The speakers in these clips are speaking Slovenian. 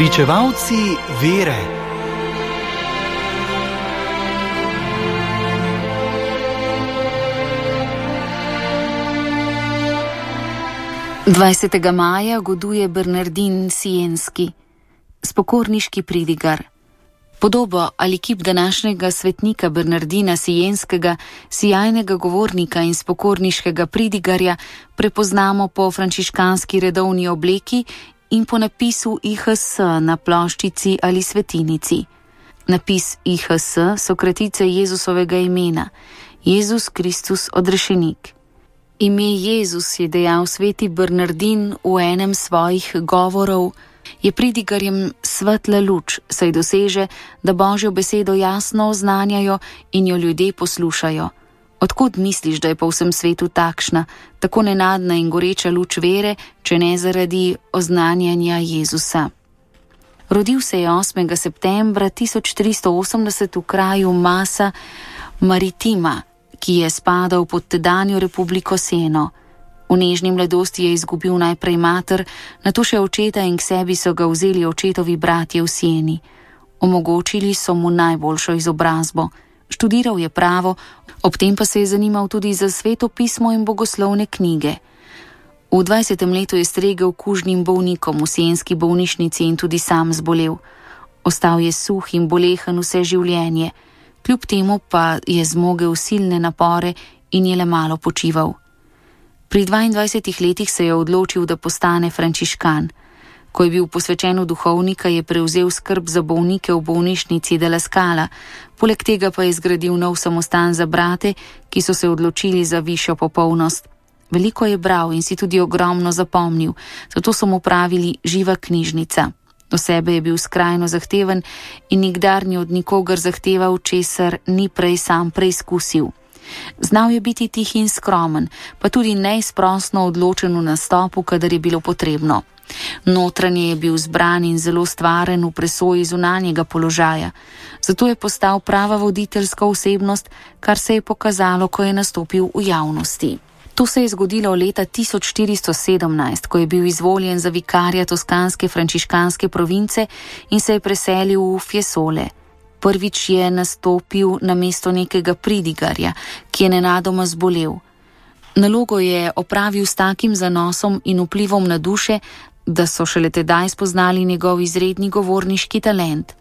Pričevalci vere. Dvajsetega maja goduje Bernardin Sienski, spokorniški pridigar. Podobo ali kip današnjega svetnika Bernardina Sienskega, sijajnega govornika in spokorniškega pridigarja, prepoznamo po frančiškanski redovni obleki in po napisu IHS na ploščici ali svetinici. Napis IHS so kratice Jezusovega imena, Jezus Kristus odrešenik. Ime Jezus, je dejal sveti Bernardin v enem svojih govorov, je pridigarjem svetla luč, saj doseže, da Božjo besedo jasno oznanjajo in jo ljudje poslušajo. Odkud misliš, da je po vsem svetu takšna, tako nenadna in goreča luč vere, če ne zaradi oznanjanja Jezusa? Rodil se je 8. septembra 1380 v kraju Massa Maritima, ki je spadal pod tedanjo republiko Seno. V nežni mladosti je izgubil najprej mater, nato še očeta in k sebi so ga vzeli očetovi bratje v Sieni. Omogočili so mu najboljšo izobrazbo. Študiral je pravo, ob tem pa se je zanimal tudi za sveto pismo in bogoslovne knjige. V 20. letu je stregel kužnim bolnikom v sienski bolnišnici in tudi sam zbolel. Ostal je suh in bolehen vse življenje, kljub temu pa je zmogel silne napore in je le malo počival. Pri 22 letih se je odločil, da postane frančiškan. Ko je bil posvečen v duhovnika, je prevzel skrb za bolnike v bolnišnici de la Scala, poleg tega pa je zgradil nov samostan za brate, ki so se odločili za višjo popolnost. Veliko je bral in si tudi ogromno zapomnil, zato so mu pravili živa knjižnica. Do sebe je bil skrajno zahteven in nikdar ni od nikogar zahteval, česar ni prej sam preizkusil. Znal je biti tih in skromen, pa tudi neizprosno odločen v nastopu, kadar je bilo potrebno. Notranje je bil zbran in zelo stvaren v presoji zunanjega položaja. Zato je postal prava voditeljska osebnost, kar se je pokazalo, ko je nastopil v javnosti. To se je zgodilo leta 1417, ko je bil izvoljen za vikarja toskanske frančiškanske province in se je preselil v Fiesole. Prvič je nastopil na mesto nekega pridigarja, ki je nenadoma zbolel. Nalogo je opravil s takim zanosom in vplivom na duše, da so šele tedaj spoznali njegov izredni govorniški talent.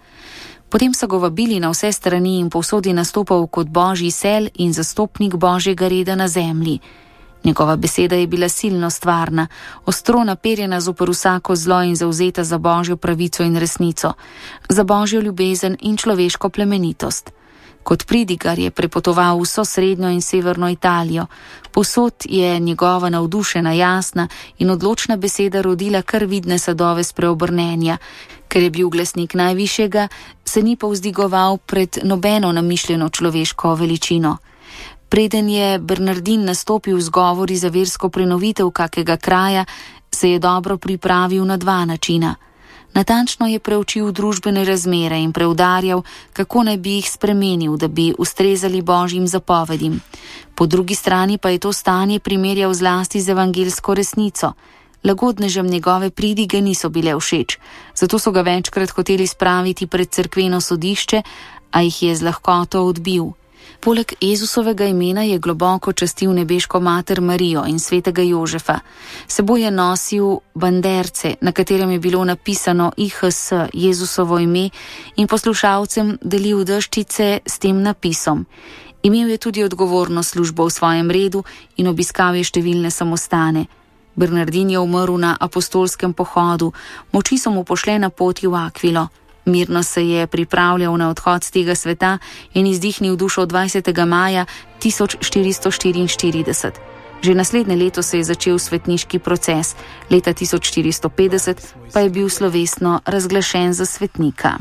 Potem so ga vabili na vse strani in povsod je nastopal kot božji sel in zastopnik božjega reda na zemlji. Njegova beseda je bila silno stvarna, ostro naperjena zoper vsako zlo in zavzeta za božjo pravico in resnico, za božjo ljubezen in človeško plemenitost. Kot pridigar je prepotoval vso srednjo in severno Italijo. Povsod je njegova navdušena, jasna in odločna beseda rodila kar vidne sadove spreobrnenja. Ker je bil glasnik najvišjega, se ni povzdigoval pred nobeno namišljeno človeško veličino. Preden je Bernardin nastopil z govori za versko prenovitev kakega kraja, se je dobro pripravil na dva načina. Natančno je preučil družbene razmere in preudarjal, kako naj bi jih spremenil, da bi ustrezali božjim zapovedim. Po drugi strani pa je to stanje primerjal zlasti z evangelsko resnico. Lagodnežem njegove pridige niso bile všeč, zato so ga večkrat hoteli spraviti pred cerkveno sodišče, a jih je z lahkoto odbil. Poleg Jezusovega imena je globoko častil nebeško mater Marijo in svetega Jožefa. Seboj je nosil banderce, na katerem je bilo napisano IHS, Jezusovo ime, in poslušalcem delil deščice s tem napisom. Imel je tudi odgovorno službo v svojem redu in obiskal je številne samostane. Bernardin je umrl na apostolskem pohodu, moči so mu pošle na poti v Akvilo. Mirno se je pripravljal na odhod z tega sveta in izdihnil dušo 20. maja 1444. Že naslednje leto se je začel svetniški proces, leta 1450 pa je bil slovesno razglašen za svetnika.